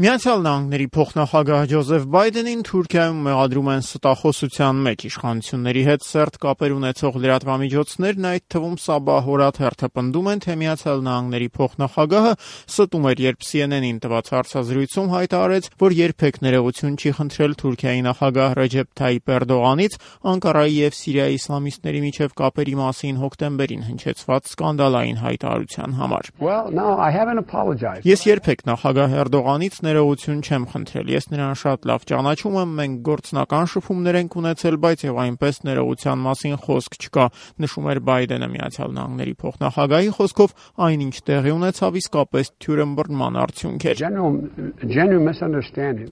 Միացյալ Նահանգների փոխնախագահ Ջոզեֆ Բայդենին Թուրքիայում մեղադրում են ստախոսության մեջ։ Իշխանությունների հետ սերտ կապեր ունեցող լրատվամիջոցներն, այդ թվում Սաբահ օրաթերթը, պնդում են, թե Միացյալ Նահանգների փոխնախագահը ստում էր, երբ CNN-ին տված հարցազրույցում հայտարարեց, որ երբեք ներողություն չի խնդրել Թուրքիայի նախագահ Ռեջեփ Թայիփ Էրդողանից Անկարայի եւ Սիրիայի իսլամիստների միջև կապերի մասին հոկտեմբերին հնչեցված սկանդալային հայտարարության համար։ Ես երբեք նախագահ Էրդողանից ներողություն չեմ խնդրել։ Ես նրան շատ լավ ճանաչում եմ, մենք գործնական շփումներ ենք ունեցել, բայց եւ այնպես ներողության մասին խոսք չկա, նշում էր Բայդենը։ Միացյալ Նահանգների փոխնախագահի խոսքով այնինչ տեղի ունեցավ իսկապես թյուրըմբռնման արդյունք էր։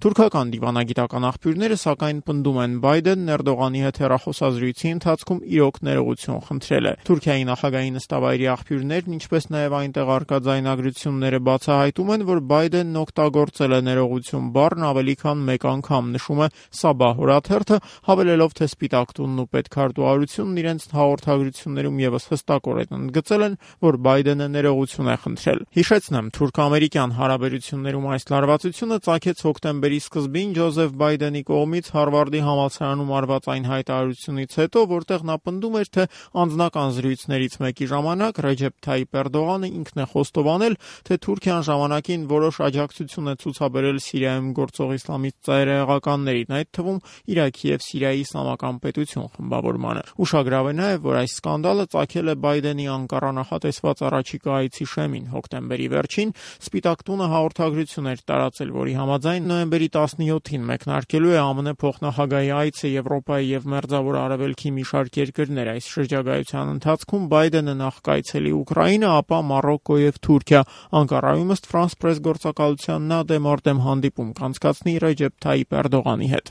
Թուրքական դիվանագիտական աղբյուրները սակայն պնդում են, Բայդենն Էրդողանի հետ հեռախոսազրույցի ընթացքում իրոք ներողություն խնդրել է։ Թուրքիայի նախագահի նստավայրի աղբյուրներն, ինչպես նաեւ այնտեղ արկա ձայնագրությունները բացահայտում են, որ Բայդենն օգտագործել է ներողություն բառն ավելի քան մեկ անգամ, նշում է Սաբահ օրաթերթը, հավելելով, թե Սպիտակ տունն ու պետքարտուղարությունն իրենց հաղորդագրություններում եւս հստակորեն ընդգծել են, որ Բայդենը ներողություն է խնդրել։ Հիշեցնեմ, թուրք-ամերիկյան հարաբերություններում այս լարվածությունը ծագեց հոկտեմբերի սկզբին Ջոզեֆ Բայդենի կողմից Հարվարդի համալսարանում արված այն հայտարարությունից հետո, որտեղ նա պնդում էր, թե անձնական զրույցներից մեկի ժամանակ Ռեջեփ Թայիփ Էրդողանը ինքն է խոստովանել, թե Թուրքիան ժամանակին որոշ աջակցություն է ցուցաբերել Սիրիայում գործող իսլամիստ ծայրահեղականներին, այդ թվում Իրաքի եւ Սիրիայի իսլամական պետություն խմբավորմանը։ Ուշագրավ է նաեւ, որ այս սկանդալը ծագել է Բայդենի Անկարա նախատեսված առաջիկա այցի շեմին։ Հոկտեմբերի վերջին Սպիտակ տունը հաղորդագրություն էր տարածել, որի համաձայն նոյեմբերի 17-ին մեկնարկելու է ԱՄՆ փոխնախագահի այցը Եվրոպայի եւ Մերձավոր Արևելքի մի շարք երկրներ։ Այս շրջագայության ընթացքում Բայդենը նախ կայցելի Ուկրաինա, ապա Մարոկկո եւ Թուրքիա։ Անկարայում ըստ France Press գործակալության նա դեմորդեմ հանդիպում կանցկացնի Ռեջեփ Թայիփ Էրդողանի հետ։